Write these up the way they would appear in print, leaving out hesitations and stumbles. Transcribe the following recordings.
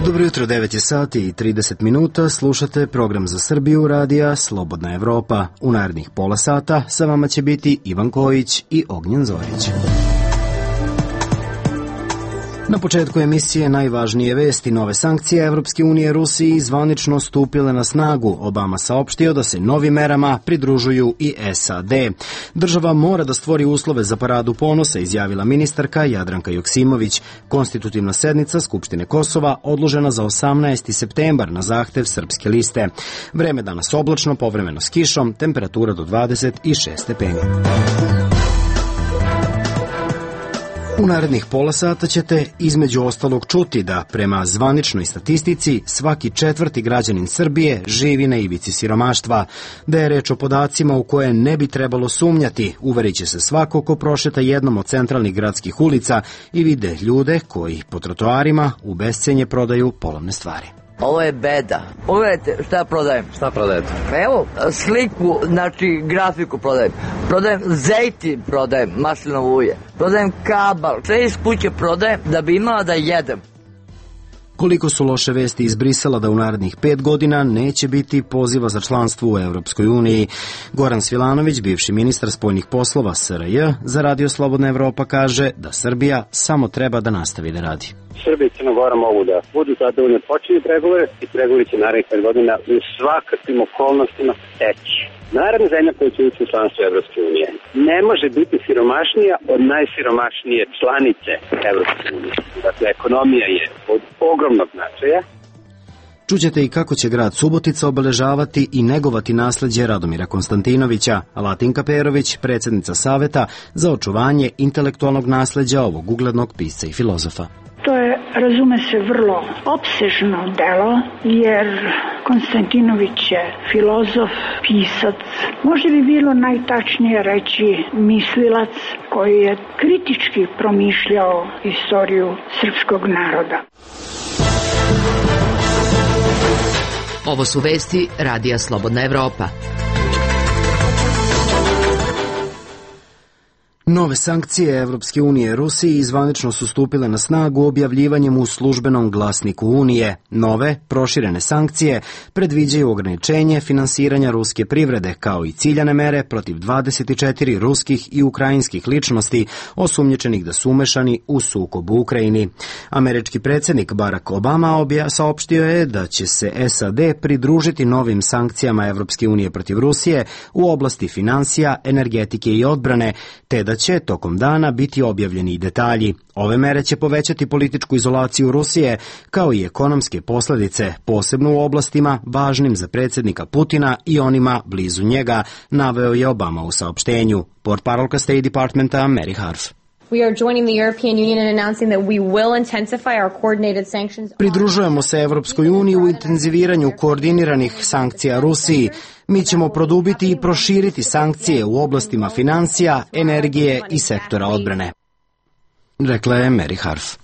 Dobro jutro, 9 je sati i 30 minuta, slušate program za Srbiju radija Slobodna Evropa. U narednih pola sata sa vama će biti Ivan Kojić i Ognjen Zorić. Na početku emisije najvažnije vesti. Nove sankcije Evropske unije Rusiji zvanično stupile na snagu. Obama saopštio da se novim merama pridružuju i SAD. Država mora da stvori uslove za paradu ponosa, izjavila ministarka Jadranka Joksimović. Konstitutivna sednica Skupštine Kosova odložena za 18. septembar na zahtev Srpske liste. Vreme danas oblačno, povremeno s kišom, temperatura do 26 stepeni. U narednih pola sata ćete između ostalog čuti da prema zvaničnoj statistici svaki četvrti građanin Srbije živi na ivici siromaštva, da je reč o podacima u koje ne bi trebalo sumnjati, uverit će se svako ko prošeta jednom od centralnih gradskih ulica i vide ljude koji po trotoarima u bescenje prodaju polovne stvari. Ovo je beda. Pogledajte šta ja prodajem. Šta prodajete? Evo, sliku, znači grafiku prodajem. Prodajem zejtin, prodajem maslinovo ulje. Prodajem kabal. Sve iz kuće prodajem da bi imala da jedem. Koliko su loše vesti iz Brisela da u narednih 5 godina neće biti poziva za članstvo u Evropskoj uniji. Goran Svilanović, bivši ministar spoljnih poslova SRJ, za Radio Slobodna Evropa kaže da Srbija samo treba da nastavi da radi. Srbija i Crna Gora mogu da budu zadovoljni, počinju pregovore i pregovori će narednih 5 godina u svakakvim okolnostima teći. Naravno, zemlja koja će ući u članstvo Evropske unije ne može biti siromašnija od najsiromašnije članice Evropske unije. Dakle, ekonomija je od ogromnog značaja. Čućete i kako će grad Subotica obeležavati i negovati nasleđe Radomira Konstantinovića, a Latinka Perović, predsjednica Saveta za očuvanje intelektualnog nasleđa ovog uglednog pisca i filozofa. To je, razume se, vrlo opsežno delo, jer Konstantinović je filozof, pisac, možda bi bilo najtačnije reći mislilac koji je kritički promišljao istoriju srpskog naroda. Ovo su vesti Radija Slobodna Evropa. Nove sankcije Evropske unije Rusiji zvanično su stupile na snagu objavljivanjem u službenom glasniku Unije. Nove, proširene sankcije predviđaju ograničenje finansiranja ruske privrede, kao i ciljane mere protiv 24 ruskih i ukrajinskih ličnosti osumnjičenih da su umešani u sukob u Ukrajini. Američki predsjednik Barack Obama saopštio je da će se SAD pridružiti novim sankcijama Evropske unije protiv Rusije u oblasti finansija, energetike i odbrane, te da će tokom dana biti objavljeni i detalji. Ove mere će povećati političku izolaciju Rusije, kao i ekonomske posljedice, posebno u oblastima važnim za predsjednika Putina i onima blizu njega, naveo je Obama u saopštenju. Portparolka State Departmenta Mary Harf. Pridružujemo se Evropskoj uniji u intenziviranju koordiniranih sankcija Rusiji. Mi ćemo produbiti i proširiti sankcije u oblastima financija, energije i sektora odbrane, rekla je Mary Harf.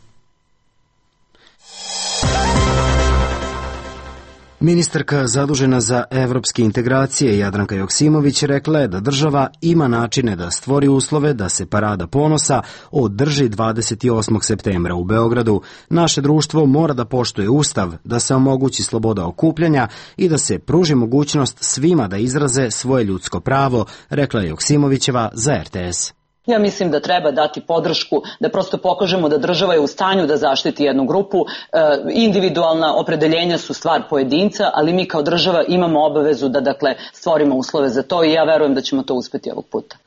Ministarka zadužena za evropske integracije Jadranka Joksimović rekla je da država ima načine da stvori uslove da se parada ponosa održi 28. septembra u Beogradu. Naše društvo mora da poštuje Ustav, da se omogući sloboda okupljanja i da se pruži mogućnost svima da izraze svoje ljudsko pravo, rekla je Joksimovićeva za RTS. Ja mislim da treba dati podršku, da prosto pokažemo da država je u stanju da zaštiti jednu grupu. Individualna opredeljenja su stvar pojedinca, ali mi kao država imamo obavezu da stvorimo uslove za to i ja verujem da ćemo to uspjeti ovog puta.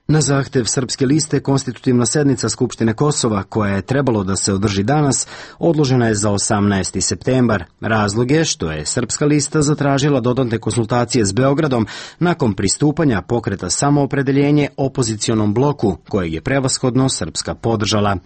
Na zahtev Srpske liste, konstitutivna sednica Skupštine Kosova, koja je trebalo da se održi danas, odložena je za 18. septembar. Razlog je što je Srpska lista zatražila dodatne konsultacije s Beogradom nakon pristupanja pokreta Samoopredeljenje opozicionom bloku, kojeg je prevashodno Srpska podržala.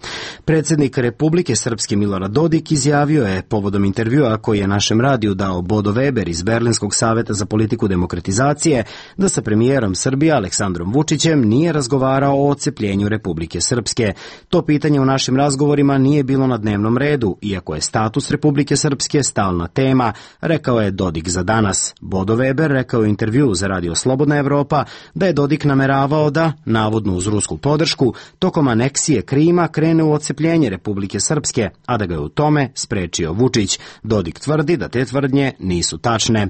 Predsjednik Republike Srpske Milorad Dodik izjavio je povodom intervjua koji je našem radiju dao Bodo Weber iz Berlinskog saveta za politiku demokratizacije da sa premijerom Srbije Aleksandrom Vučićem nije nije razgovarao o odcepljenju Republike Srpske. To pitanje u našim razgovorima nije bilo na dnevnom redu, iako je status Republike Srpske stalna tema, rekao je Dodik za danas. Bodo Weber rekao u intervju za Radio Slobodna Evropa da je Dodik nameravao da, navodno uz rusku podršku, tokom aneksije Krima krene u odcepljenje Republike Srpske, a da ga je u tome sprečio Vučić. Dodik tvrdi da te tvrdnje nisu tačne.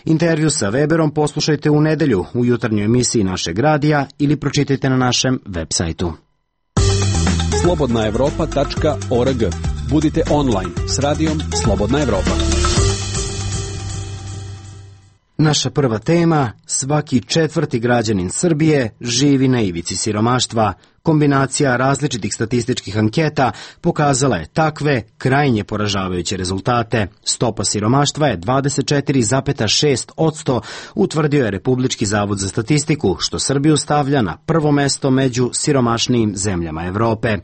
Intervju sa Weberom poslušajte u nedelju u jutarnjoj emisiji našeg radija ili pročitajte na našem web sajtu. slobodnaevropa.org. Budite online s radijom Slobodna Evropa. Naša prva tema, svaki četvrti građanin Srbije živi na ivici siromaštva. Kombinacija različitih statističkih anketa pokazala je takve krajnje poražavajuće rezultate. Stopa siromaštva je 24,6%, utvrdio je Republički zavod za statistiku, što Srbiju stavlja na prvo mesto među siromašnijim zemljama Evrope.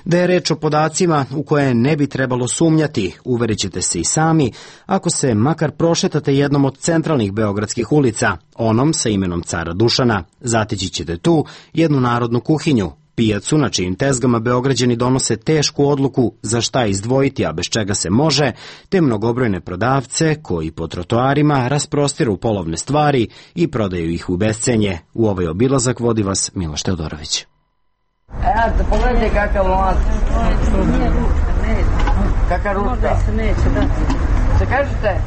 Da je reč o podacima u koje ne bi trebalo sumnjati, uverit ćete se i sami, ako se makar prošetate jednom od centralnih beogradskih ulica, onom sa imenom Cara Dušana. Zateći ćete tu jednu narodnu kuhinju, pijacu na čijim tezgama Beograđani donose tešku odluku za šta izdvojiti, a bez čega se može, te mnogobrojne prodavce koji po trotoarima rasprostiru polovne stvari i prodaju ih u bescenje. U ovaj obilazak vodi vas Miloš Teodorović. Eto, pogledajte kakav lanac. Kaka ručka. Se kažete?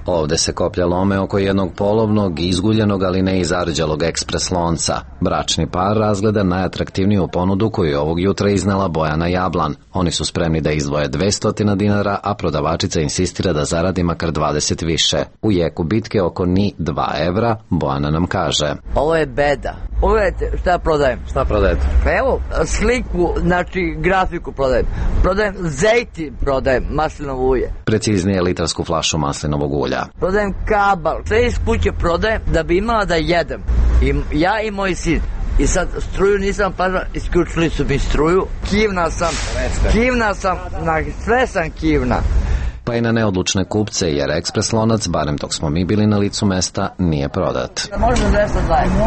Ovde se koplja lome oko jednog polovnog, izguljenog, ali ne i zarđalog ekspres lonca. Bračni par razgleda najatraktivniju ponudu koju je ovog jutra iznela Bojana Jablan. Oni su spremni da izdvoje 200 dinara, a prodavačica insistira da zaradi makar 20 više. U jeku bitke oko ni 2 evra, Bojana nam kaže: Ovo je beda. Pogledajte šta prodajem. Šta prodajete? Pa evo, sliku, znači grafiku prodajem. Prodajem zejti, prodajem maslinovo ulje. Preciznije litrarsku flašu maslinovog ulja. Prodajem kabal. Sve iz kuće prodajem da bi imala da jedem. I ja i moj sin. I sad struju nisam pažao, isključili su mi struju. Kivna sam, na sve sam kivna. Pa i na neodlučne kupce, jer ekspres lonac, barem dok smo mi bili na licu mesta, nije prodat. Možda 200 zajedno.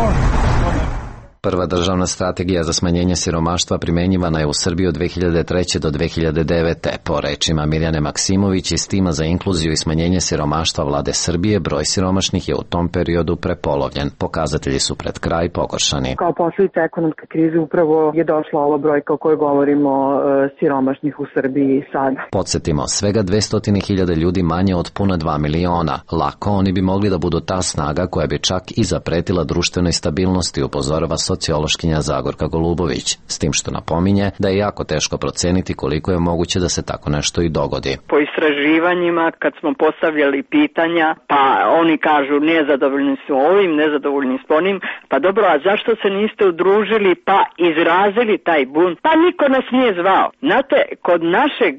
Prva državna strategija za smanjenje siromaštva primenjivana je u Srbiji od 2003. do 2009. Po rečima Mirjane Maksimović iz tima za inkluziju i smanjenje siromaštva vlade Srbije, broj siromašnih je u tom periodu prepolovljen. Pokazatelji su pred kraj pogoršani. Kao posljedica ekonomske krize upravo je došla ova brojka o kojoj govorimo siromašnih u Srbiji sada. Podsjetimo, svega 200.000 ljudi manje od puna 2 miliona. Lako oni bi mogli da budu ta snaga koja bi čak i zapretila društvenoj stabilnosti, upozorava sociološkinja Zagorka Golubović, s tim što napominje da je jako teško proceniti koliko je moguće da se tako nešto i dogodi. Po istraživanjima, kad smo postavljali pitanja, pa oni kažu nezadovoljni su ovim, nezadovoljni s onim, pa dobro, a zašto se niste udružili pa izrazili taj bunt? Pa niko nas nije zvao. Znate, kod našeg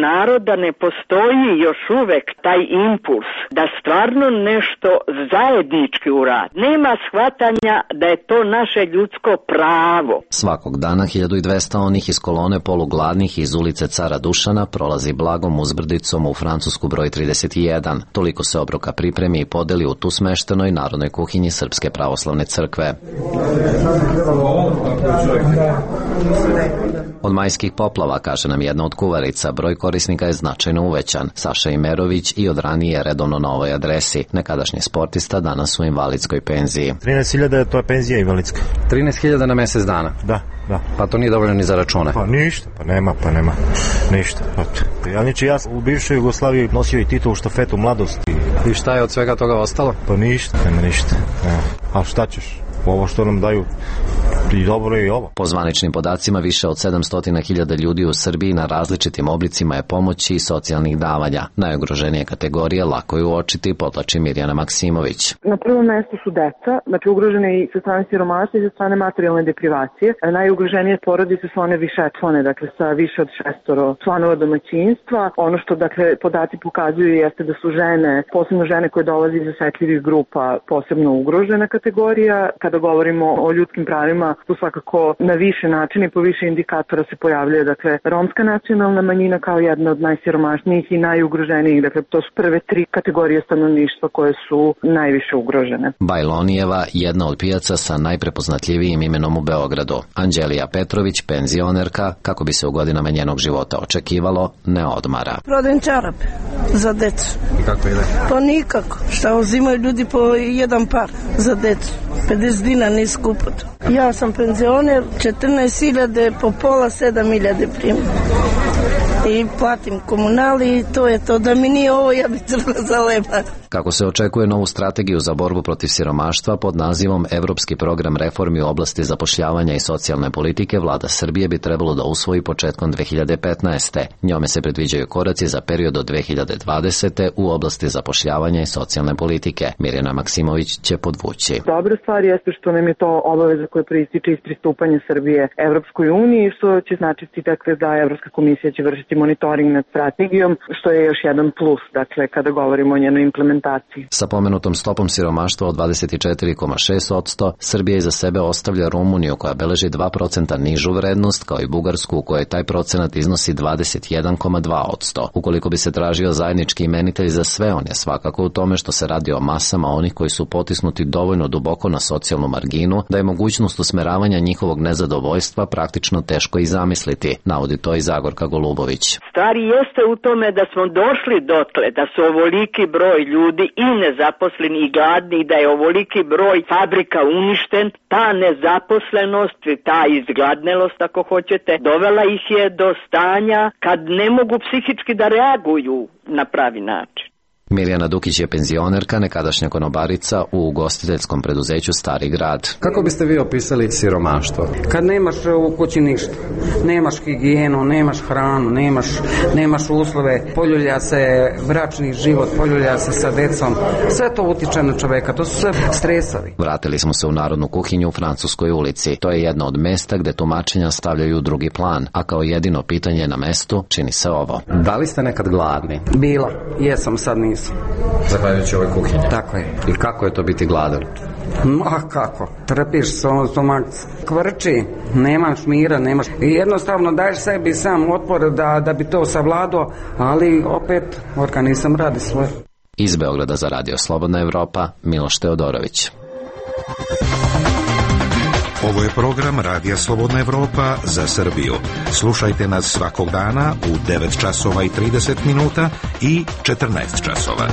naroda ne postoji još uvek taj impuls da stvarno nešto zajednički uradi. Nema shvatanja da je to naše ljudsko pravo. Svakog dana 1200 onih iz kolone polugladnih iz ulice Cara Dušana prolazi blagom uzbrdicom u Francusku broj 31. Toliko se obroka pripremi i podeli u tu smeštenoj narodnoj kuhinji Srpske pravoslavne crkve. Od majskih poplava, kaže nam jedna od kuvarica, broj korisnika je značajno uvećan. Saša Imerović i od ranije redovno na ovoj adresi. Nekadašnji sportista danas u invalidskoj penziji. 13.000 to je penzija invalidska. 13.000 na mesec dana? Da. Pa to nije dovoljno ni za račune? Pa ništa, pa nema. Ništa. Ja u bivšoj Jugoslaviji nosio i titul štafetu mladosti. I šta je od svega toga ostalo? Pa ništa, nema ništa. A šta ćeš? Ovo što nam daju i dobro i ovo. Po zvaničnim podacima više od 700.000 ljudi u Srbiji na različitim oblicima je pomoći i socijalnih davanja. Najugroženije kategorije lako je uočiti, podlači Mirjana Maksimović. Na prvom mestu su deca, znači ugrožene i sa strane siromaštva i sa strane materijalne deprivacije. Najugroženije porodice su one višečlane, dakle sa više od 6 članova domaćinstva. Ono što podaci pokazuju jeste da su žene, posebno žene koje dolaze iz osetljivih grupa, posebno ugrožena kategorija. Kada govorimo o ljudskim pravima, tu svakako na više načina i po više indikatora se pojavljuje, dakle, romska nacionalna manjina kao jedna od najsiromašnijih i najugroženijih, dakle, to su prve 3 kategorije stanovništva koje su najviše ugrožene. Bajlonijeva, jedna od pijaca sa najprepoznatljivijim imenom u Beogradu. Anđelija Petrović, penzionerka, kako bi se u godinama njenog života očekivalo, ne odmara. Prodajem čarape za decu. I kako ide? Pa nikako. Šta uzimaju ljudi po jedan par za decu. 50 dinara nije skupo to. Ja sam penzioner, 14.000 po pola, 7.000 primam. I platim komunali i to je to. Da mi nije ovo, ja bi crna zaleba. Kako se očekuje novu strategiju za borbu protiv siromaštva pod nazivom Evropski program reformi u oblasti zapošljavanja i socijalne politike, vlada Srbije bi trebalo da usvoji početkom 2015. Njome se predviđaju koraci za period od 2020. u oblasti zapošljavanja i socijalne politike. Mirjana Maksimović će podvući. Dobra stvar jeste što nam je to obaveza koja proističe iz pristupanja Srbije Evropskoj uniji, što će značiti dakle, da Evropska komisija će vršiti monitoring nad strategijom, što je još jedan plus, dakle, kada govorimo o njenoj implementaciji. Sa pomenutom stopom siromaštva od 24,6%, Srbija iza sebe ostavlja Rumuniju koja beleži 2% nižu vrednost, kao i Bugarsku u kojoj taj procenat iznosi 21,2%. Ukoliko bi se tražio zajednički imenitelj za sve, on je svakako u tome što se radi o masama onih koji su potisnuti dovoljno duboko na socijalnu marginu, da je mogućnost usmeravanja njihovog nezadovoljstva praktično teško i zamisliti, navodi to i Zagorka Golubović. Stvari jeste u tome da smo došli dotle, da su ovoliki broj ljudi i nezaposleni i gladni, da je ovoliki broj fabrika uništen. Ta nezaposlenost, ta izgladnelost, ako hoćete, dovela ih je do stanja kad ne mogu psihički da reaguju na pravi način. Mirjana Dukić je penzionerka, nekadašnja konobarica u ugostiteljskom preduzeću Stari grad. Kako biste vi opisali siromaštvo? Kad nemaš u kući ništa, nemaš higijenu, nemaš hranu, nemaš uslove, poljulja se bračni život, poljulja se sa decom, sve to utiče na čoveka, to su sve stresovi. Vratili smo se u Narodnu kuhinju u Francuskoj ulici. To je jedno od mesta gde tumačenja stavljaju u drugi plan, a kao jedino pitanje na mestu čini se ovo. Da li ste nekad gladni? Bila, jesam, sad nisam. Zahvaljujući ovoj kuhinji. Tako je. I kako je to biti gladan? Kako? Trpiš stomak, kvrči, nemaš mira, nemaš. I jednostavno daješ sebi sam otpor da bi to savladao, ali opet organizam radi svoje. Iz Beograda za Radio Slobodna Evropa, Miloš Teodorović. Ovo je program Radija Slobodna Evropa za Srbiju. Slušajte nas svakog dana u 9 časova i 30 minuta i 14 časova.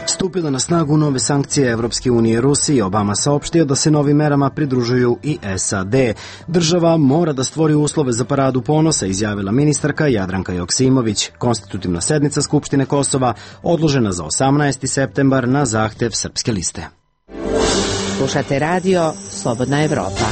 Stupile na snagu nove sankcije Evropske unije Rusiji, Obama saopštio da se novim merama pridružuju i SAD. Država mora da stvori uslove za paradu ponosa, izjavila ministarka Jadranka Joksimović. Konstitutivna sednica Skupštine Kosova odložena za 18. septembar na zahtev Srpske liste. Slušate radio Slobodna Evropa.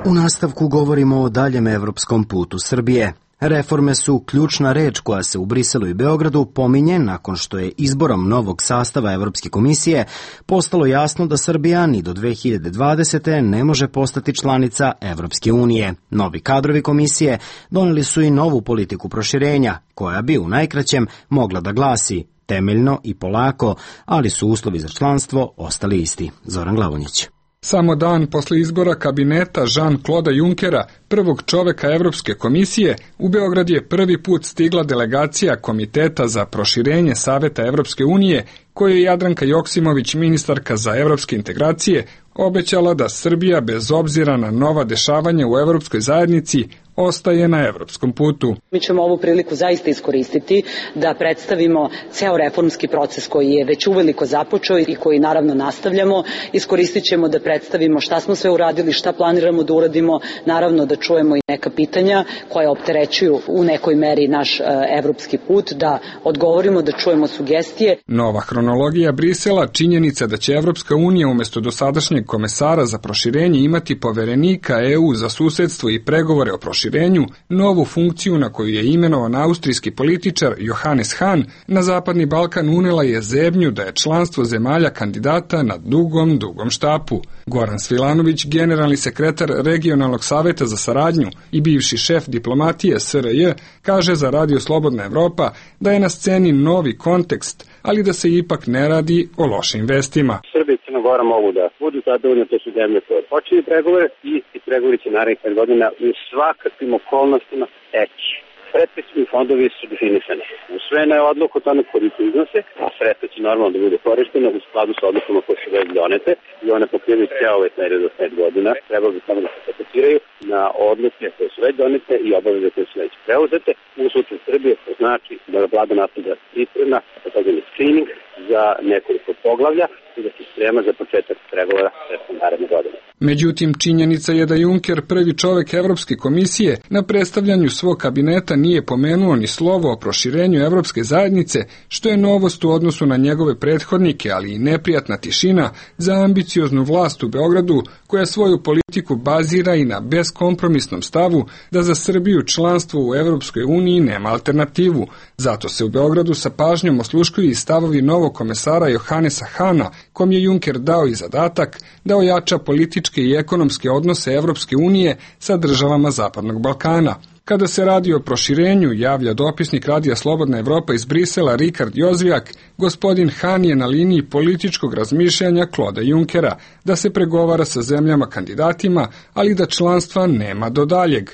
U nastavku govorimo o daljem evropskom putu Srbije. Reforme su ključna reč koja se u Briselu i Beogradu pominje nakon što je izborom novog sastava Evropske komisije postalo jasno da Srbija ni do 2020. ne može postati članica Evropske unije. Novi kadrovi komisije doneli su i novu politiku proširenja, koja bi u najkraćem mogla da glasi temeljno i polako, ali su uslovi za članstvo ostali isti. Zoran Glavonjić. Samo dan posle izbora kabineta Jean-Claude Junckera, prvog čoveka Evropske komisije, u Beograd je prvi put stigla delegacija Komiteta za proširenje Saveta Evropske unije, koju je Jadranka Joksimović, ministarka za evropske integracije, obećala da Srbija, bez obzira na nova dešavanja u Evropskoj zajednici, ostaje na evropskom putu. Mi ćemo ovu priliku zaista iskoristiti da predstavimo ceo reformski proces koji je već uveliko započeo i koji naravno nastavljamo. Iskoristit ćemo da predstavimo šta smo sve uradili, šta planiramo da uradimo, naravno da čujemo i neka pitanja koja opterećuju u nekoj meri naš evropski put, da odgovorimo, da čujemo sugestije. Nova hronologija Brisela, činjenica da će Evropska unija umesto dosadašnjeg komesara za proširenje imati poverenika EU za susedstvo i pregovore o proširenju, proširenju novu funkciju na koju je imenovan austrijski političar Johannes Hahn, na Zapadni Balkan unela je zebnju da je članstvo zemalja kandidata na dugom štapu. Goran Svilanović, generalni sekretar Regionalnog saveta za saradnju i bivši šef diplomatije SRJ, kaže za Radio Slobodna Evropa da je na sceni novi kontekst, ali da se ipak ne radi o lošim vestima. Srbija i Crna Gora mogu da budu zadovoljne, to su zemlje koje počinju pregovore i pregovori će narednih 5 godina u svakakvim okolnostima teći. Predpristupni fondovi su definisani. Usvojena je odluka o tome koliko iznose, a sredstva će normalno da bude korištena u skladu sa odlukama koje su već donete i one pokrivaju ceo ovaj period od 5 godina. Treba bi samo da se fokusiraju na odluke koje su već donete i obaveze koje su već preuzete. U slučaju Srbije to znači da vlada nastavlja priprema, takozvani screening za nekoliko poglavlja i da se sprema za početak pregovora sredstvom naredne godine. Međutim, činjenica je da Juncker, prvi čovek Evropske komisije, na predstavljanju svog kabineta nije pomenuo ni slovo o proširenju Evropske zajednice, što je novost u odnosu na njegove prethodnike, ali i neprijatna tišina za ambicioznu vlast u Beogradu, koja svoju politiku bazira i na beskompromisnom stavu da za Srbiju članstvo u Evropskoj uniji nema alternativu. Zato se u Beogradu sa pažnjom osluškuju i stavovi novog komesara Johannesa Hahna, kom je Juncker dao i zadatak da ojača političke i ekonomske odnose Evropske unije sa državama Zapadnog Balkana. Kada se radi o proširenju, javlja dopisnik Radija Slobodna Evropa iz Brisela Rikard Jozvijak, gospodin Hahn je na liniji političkog razmišljanja Kloda Junckera, da se pregovara sa zemljama kandidatima, ali da članstva nema do daljeg.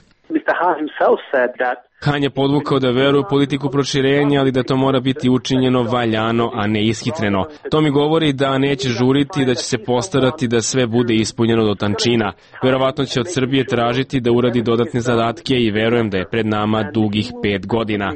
Hahn je podvukao da veruje u politiku proširenja, ali da to mora biti učinjeno valjano, a ne ishitreno. To mi govori da neće žuriti, da će se postarati da sve bude ispunjeno do tančina. Verovatno će od Srbije tražiti da uradi dodatne zadatke i verujem da je pred nama dugih 5 godina.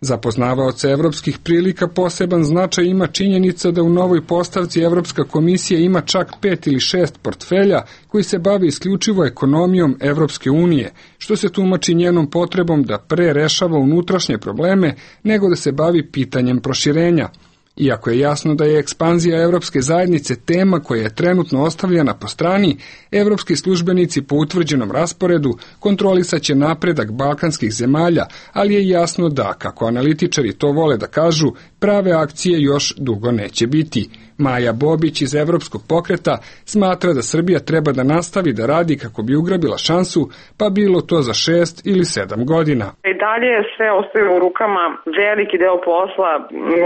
Za poznavaoce evropskih prilika poseban značaj ima činjenica da u novoj postavci Evropska komisija ima čak 5 ili 6 portfelja koji se bave isključivo ekonomijom Evropske unije, što se tumači njenom potrebom da pre rešava unutrašnje probleme nego da se bavi pitanjem proširenja. Iako je jasno da je ekspanzija Evropske zajednice tema koja je trenutno ostavljena po strani, evropski službenici po utvrđenom rasporedu kontrolisaće napredak balkanskih zemalja, ali je jasno da, kako analitičari to vole da kažu, prave akcije još dugo neće biti. Maja Bobić iz Evropskog pokreta smatra da Srbija treba da nastavi da radi kako bi ugrabila šansu, pa bilo to za 6 ili 7 godina. I dalje sve ostaje u rukama, veliki deo posla,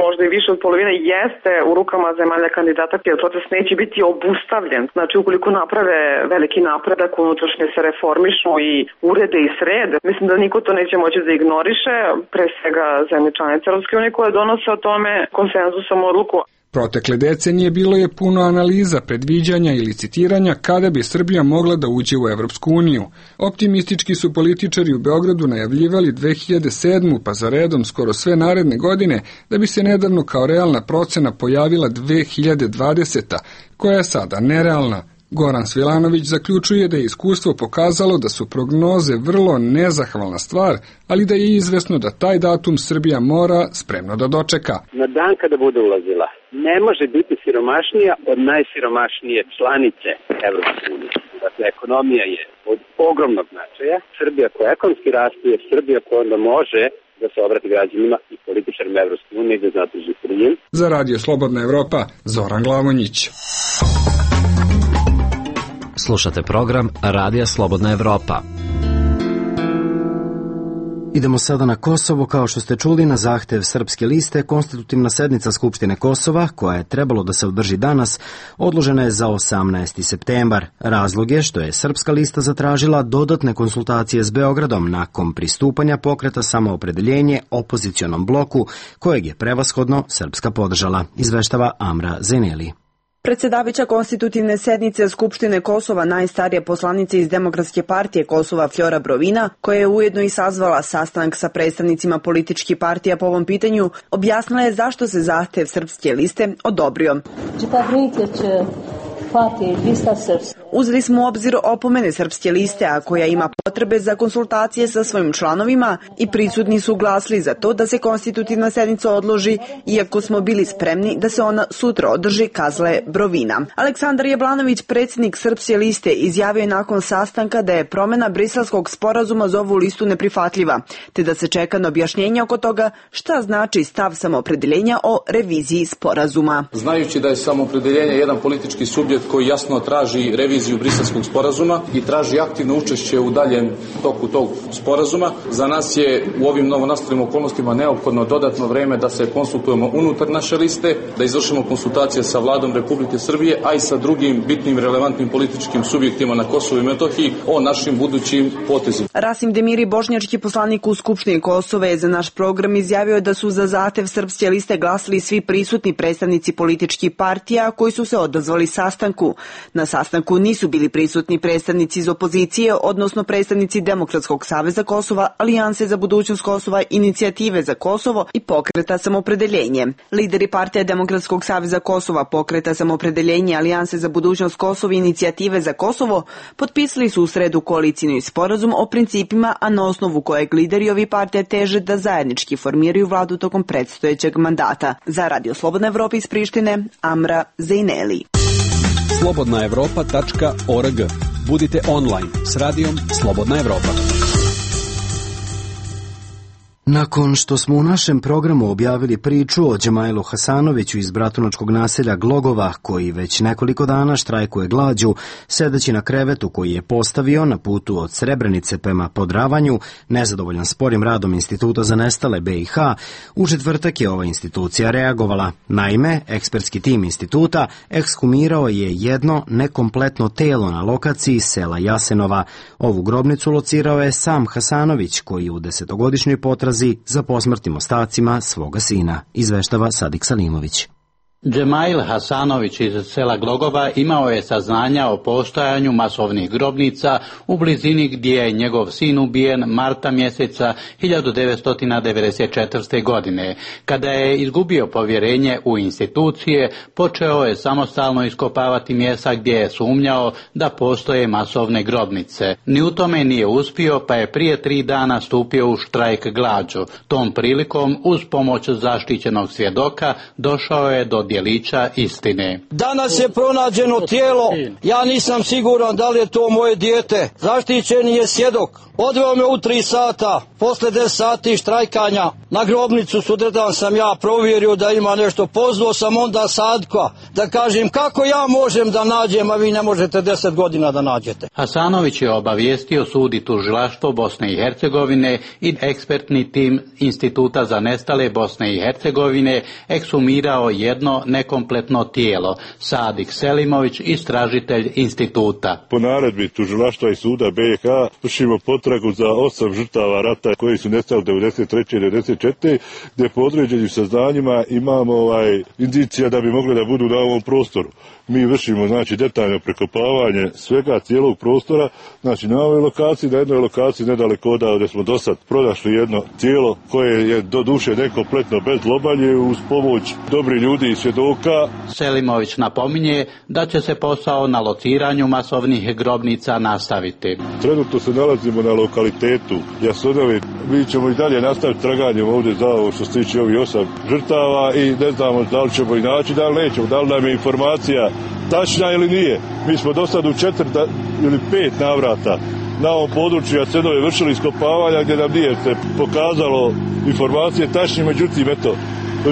možda i više od polovine, jeste u rukama zemalja kandidata, jer proces neće biti obustavljen. Znači, ukoliko naprave veliki napredak, unutrašnje se reformišu i urede i srede, mislim da niko to neće moći da ignoriše, pre svega zemlje članice Evropske unije koje donose o tome konsenzusom odluku. Protekle decenije bilo je puno analiza, predviđanja i licitiranja kada bi Srbija mogla da uđe u Evropsku uniju. Optimistički su političari u Beogradu najavljivali 2007. pa za redom skoro sve naredne godine, da bi se nedavno kao realna procena pojavila 2020. koja je sada nerealna. Goran Svilanović zaključuje da je iskustvo pokazalo da su prognoze vrlo nezahvalna stvar, ali da je izvesno da taj datum Srbija mora spremno da dočeka. Na dan kada bude ulazila, ne može biti siromašnija od najsiromašnije članice Evropske unije. Dakle, ekonomija je od ogromnog značaja. Srbija koja ekonomski raste je Srbija koja onda može da se obrati građanima i političarima Evropske unije i da zatraži prijem. Za Radio Slobodna Evropa, Zoran Glavonjić. Slušate program Radija Slobodna Evropa. Idemo sada na Kosovo. Kao što ste čuli, na zahtev Srpske liste, konstitutivna sednica Skupštine Kosova, koja je trebalo da se održi danas, odložena je za 18. septembar. Razlog je što je Srpska lista zatražila dodatne konsultacije s Beogradom nakon pristupanja pokreta Samoopredeljenje opozicionom bloku, kojeg je prevashodno Srpska podržala, izveštava Amra Zeneli. Predsedavajuća konstitutivne sednice Skupštine Kosova, najstarije poslanice iz Demokratske partije Kosova Flora Brovina, koja je ujedno i sazvala sastanak sa predstavnicima političkih partija po ovom pitanju, objasnila je zašto se zahtev Srpske liste odobrio. Uzeli smo u obzir opomene Srpske liste, a koja ima potrebe za konsultacije sa svojim članovima i prisutni su glasili za to da se konstitutivna sednica odloži, iako smo bili spremni da se ona sutra održi, kazale Brovina. Aleksandar Jablanović, predsjednik Srpske liste, izjavio je nakon sastanka da je promjena briselskog sporazuma za ovu listu neprihvatljiva, te da se čeka na objašnjenje oko toga šta znači stav samoopredeljenja o reviziji sporazuma. Znajući da je samoopredeljenje jedan politički subjekt koji jasno traži reviziju briselskog sporazuma i traži aktivno učešće u daljem toku tog sporazuma, za nas je u ovim novonastalim okolnostima neophodno dodatno vreme da se konsultujemo unutar naše liste, da izvršimo konsultacije sa Vladom Republike Srbije, a i sa drugim bitnim relevantnim političkim subjektima na Kosovu i Metohiji o našim budućim potezima. Rasim Demiri, bošnjački poslanik u Skupštini Kosova, je za naš program izjavio da su za zahtev Srpske liste glasili svi prisutni predstavnici političkih partija koji su se odazvali sastanku. Na sastanku nisu bili prisutni predstavnici iz opozicije, odnosno predstavnici Demokratskog saveza Kosova, Alijanse za budućnost Kosova, Inicijative za Kosovo i Pokreta samoopredeljenje. Lideri partija Demokratskog saveza Kosova, Pokreta samoopredeljenje, Alijanse za budućnost Kosova i Inicijative za Kosovo potpisali su u sredu koalicijni sporazum o principima, a na osnovu kojeg lideri ovih partija teže da zajednički formiraju vladu tokom predstojećeg mandata. Za Radio Slobodna Evropa iz Prištine, Amra Zejneli. slobodnaevropa.org. Budite online s radijom Slobodna Evropa. Nakon što smo u našem programu objavili priču o Đemajlu Hasanoviću iz bratunačkog naselja Glogova, koji već nekoliko dana štrajkuje glađu, sedeći na krevetu koji je postavio na putu od Srebrenice prema Podravanju, nezadovoljan sporim radom Instituta za nestale BiH, u četvrtak je ova institucija reagovala. Naime, ekspertski tim instituta ekshumirao je jedno nekompletno telo na lokaciji sela Jasenova. Ovu grobnicu locirao je sam Hasanović, koji u 10-godišnjoj potrazi za posmrtnim ostacima svoga sina, izveštava Sadik Salimović. Đemail Hasanović iz sela Glogova imao je saznanja o postojanju masovnih grobnica u blizini gdje je njegov sin ubijen marta mjeseca 1994. godine. Kada je izgubio povjerenje u institucije, počeo je samostalno iskopavati mjesta gdje je sumnjao da postoje masovne grobnice. Ni u tome nije uspio, pa je prije 3 dana stupio u štrajk glađu. Tom prilikom, uz pomoć zaštićenog svjedoka, došao je do djelića istine. Danas je pronađeno tijelo, ja nisam siguran da li je to moje dijete. Zaštićeni je svjedok. Odveo me u 3 sata, posle 10 sati štrajkanja, na grobnicu sutradan sam ja provjerio da ima nešto. Pozvao sam onda Sadka da kažem kako ja možem da nađem, a vi ne možete 10 godina da nađete. Hasanović je obavijestio sud i tužilaštvo Bosne i Hercegovine i ekspertni tim Instituta za nestale Bosne i Hercegovine ekshumirao jedno nekompletno tijelo. Sadik Selimović, istražitelj instituta. Po naredbi tužilaštva i suda BiH vršimo potragu za 8 žrtava rata koji su nestali 93. i 94. gdje po određenim saznanjima imamo indicija da bi mogli da budu na ovom prostoru. Mi vršimo detaljno prekopavanje svega cijelog prostora, na ovoj lokaciji, na jednoj lokaciji nedaleko od gdje smo do sad pronašli jedno tijelo koje je do duše nekompletno bez lobalje uz pomoć dobrih ljudi i svjedoka. Selimović napominje da će se posao na lociranju masovnih grobnica nastaviti. Trenutno se nalazimo na lokalitetu Jasenovi. Mi ćemo i dalje nastaviti traganjem ovdje za ovo što se tiče ovih 8 žrtava i ne znamo da li ćemo i naći, da li nećemo, da li nam je informacija tačna ili nije. Mi smo do sad u 4 ili 5 navrata na ovom području Jasenove vršili iskopavanja gdje nam nije se pokazalo informacije tačne, međutim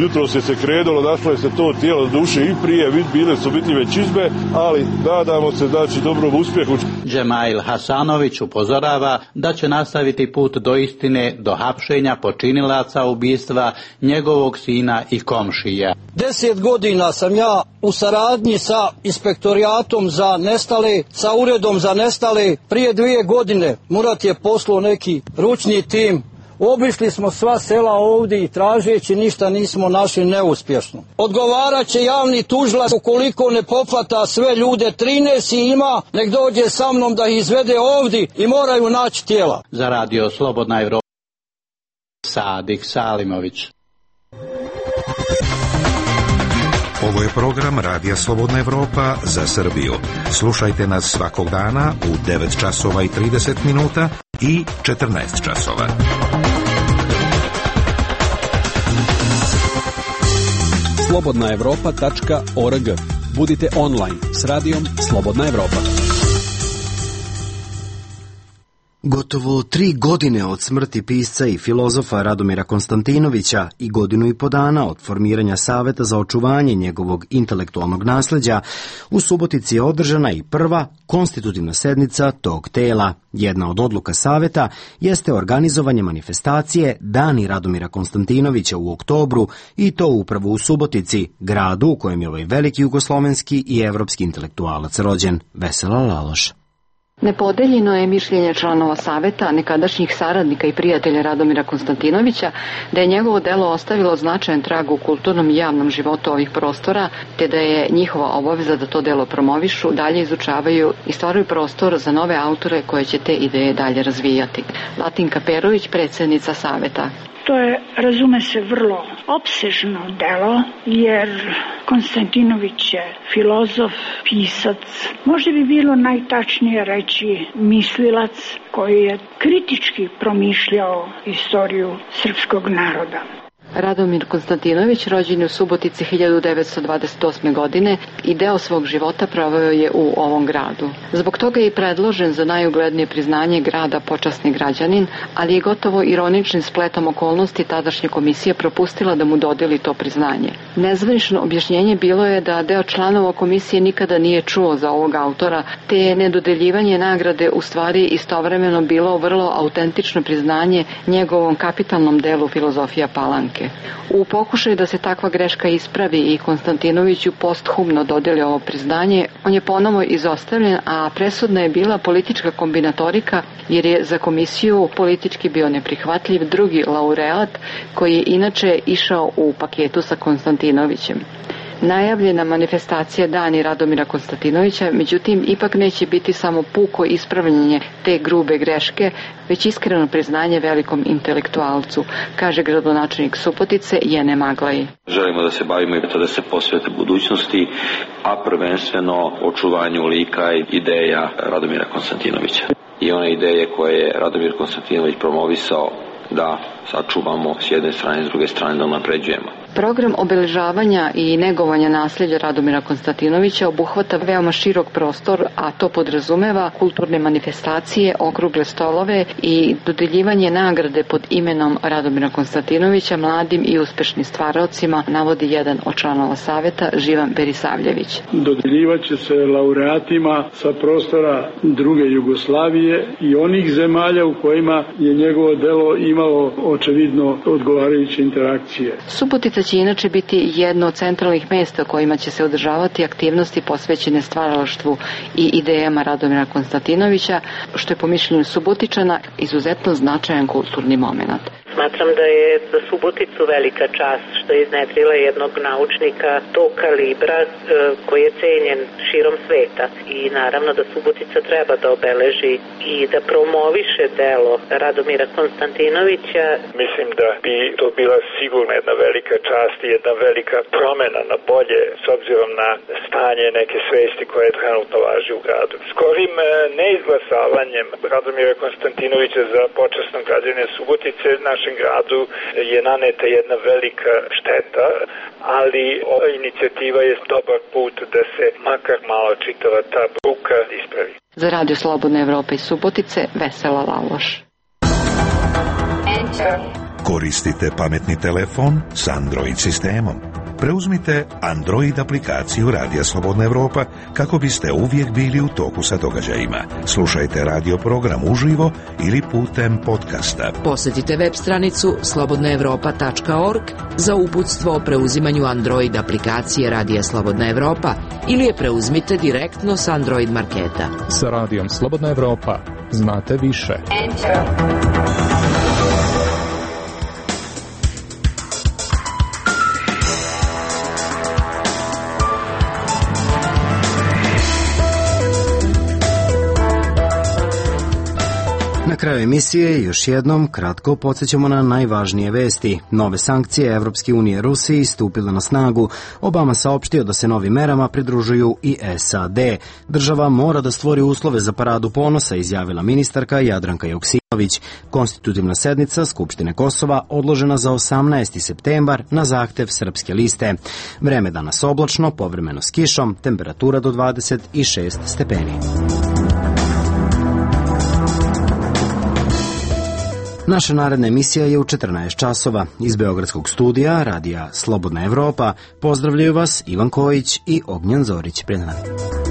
jutro se krenulo, našlo je se to tijelo duše i prije, bile su biti već izbe, ali nadamo se dobrom uspjehu. Đemail Hasanović upozorava da će nastaviti put do istine, do hapšenja počinilaca ubistva njegovog sina i komšija. 10 godina sam ja u saradnji sa inspektorijatom za nestale, sa uredom za nestale. Prije 2 godine Murat je poslao neki ručni tim. Obišli smo sva sela ovdje i tražeći ništa nismo našli, neuspješno. Odgovarat će javni tužilac ukoliko ne pohvata sve ljude, 13 ima, nek dođe sa mnom da ih izvede ovdje i moraju naći tijela. Za Radio Slobodna Evropa, Sadik Salimović. Ovo je program Radija Slobodna Evropa za Srbiju. Slušajte nas svakog dana u 9 časova i 30 minuta i 14 časova. slobodnaevropa.org. Budite online s radijom Slobodna Evropa. Gotovo 3 godine od smrti pisca i filozofa Radomira Konstantinovića i 1,5 godinu od formiranja Saveta za očuvanje njegovog intelektualnog nasleđa, u Subotici je održana i prva konstitutivna sednica tog tela. Jedna od odluka Saveta jeste organizovanje manifestacije Dani Radomira Konstantinovića u oktobru, i to upravo u Subotici, gradu u kojem je ovaj veliki jugoslovenski i evropski intelektualac rođen. Vesela Laloš. Nepodeljeno je mišljenje članova Saveta, nekadašnjih saradnika i prijatelja Radomira Konstantinovića, da je njegovo delo ostavilo značajan trag u kulturnom i javnom životu ovih prostora, te da je njihova obaveza da to delo promovišu, dalje izučavaju i stvaraju prostor za nove autore koje će te ideje dalje razvijati. Latinka Perović, predsjednica Saveta. To je, razume se, vrlo opsežno delo, jer Konstantinović je filozof, pisac, možda bi bilo najtačnije reći mislilac koji je kritički promišljao istoriju srpskog naroda. Radomir Konstantinović rođen je u Subotici 1928. godine i deo svog života proveo je u ovom gradu. Zbog toga je i predložen za najuglednije priznanje grada počasni građanin, ali je gotovo ironičnim spletom okolnosti tadašnja komisija propustila da mu dodeli to priznanje. Nezvanično objašnjenje bilo je da deo članova komisije nikada nije čuo za ovog autora, te je nedodeljivanje nagrade u stvari istovremeno bilo vrlo autentično priznanje njegovom kapitalnom delu Filozofija Palanke. U pokušaju da se takva greška ispravi i Konstantinoviću posthumno dodeli ovo priznanje, on je ponovo izostavljen, a presudna je bila politička kombinatorika, jer je za komisiju politički bio neprihvatljiv drugi laureat koji je inače išao u paketu sa Konstantinovićem. Najavljena manifestacija Dani Radomira Konstantinovića, međutim, ipak neće biti samo puko ispravljanje te grube greške, već iskreno priznanje velikom intelektualcu, kaže gradonačelnik Subotice Jene Maglaji. Želimo da se bavimo i da se posvete budućnosti, a prvenstveno očuvanju lika i ideja Radomira Konstantinovića. I one ideje koje je Radomir Konstantinović promovisao da sačuvamo s jedne strane, s druge strane da unapređujemo. Program obeležavanja i negovanja nasljeđa Radomira Konstantinovića obuhvata veoma širok prostor, a to podrazumeva kulturne manifestacije, okrugle stolove i dodeljivanje nagrade pod imenom Radomira Konstantinovića mladim i uspešnim stvaraocima, navodi jedan od članova Saveta, Živan Berisavljević. Dodeljivaće se laureatima sa prostora druge Jugoslavije i onih zemalja u kojima je njegovo delo imalo očevidno odgovarajuće interakcije. Subotica će inače biti jedno od centralnih mesta kojima će se održavati aktivnosti posvećene stvaralaštvu i idejama Radomira Konstantinovića, što je po mišljenju Subotičana izuzetno značajan kulturni moment. Smatram da je za Suboticu velika čast što je iznedrila jednog naučnika tog kalibra koji je cenjen širom sveta. I naravno da Subotica treba da obeleži i da promoviše delo Radomira Konstantinovića. Mislim da bi to bila sigurno jedna velika čast i jedna velika promena na bolje s obzirom na stanje neke svesti koje trenutno važi u gradu. Skorim neizglasavanjem Radomira Konstantinovića za počasnog građanina Subotice našem gradu je naneta jedna velika šteta, ali ova inicijativa je dobar put da se makar malo čitava ta bruka ispravi. Za Radio Slobodna Evropa iz Subotice, Vesela Laloš. Koristite pametni telefon s Android sistemom. Preuzmite Android aplikaciju Radija Slobodna Evropa kako biste uvijek bili u toku sa događajima. Slušajte radio program uživo ili putem podcasta. Posjetite web stranicu slobodnaevropa.org za uputstvo o preuzimanju Android aplikacije Radija Slobodna Evropa ili je preuzmite direktno s Android marketa. Sa Radijom Slobodna Evropa znate više. Na kraju emisije još jednom kratko podsjećamo na najvažnije vesti. Nove sankcije Evropske unije Rusiji stupile na snagu. Obama saopštio da se novim merama pridružuju i SAD. Država mora da stvori uslove za paradu ponosa, izjavila ministarka Jadranka Joksimović. Konstitutivna sednica Skupštine Kosova odložena za 18. septembar na zahtev Srpske liste. Vreme danas oblačno, povremeno s kišom, temperatura do 26 stepeni. Naša naredna emisija je u 14 časova. Iz Beogradskog studija radija Slobodna Evropa pozdravljaju vas Ivan Kojić i Ognjan Zorić. Pred nami.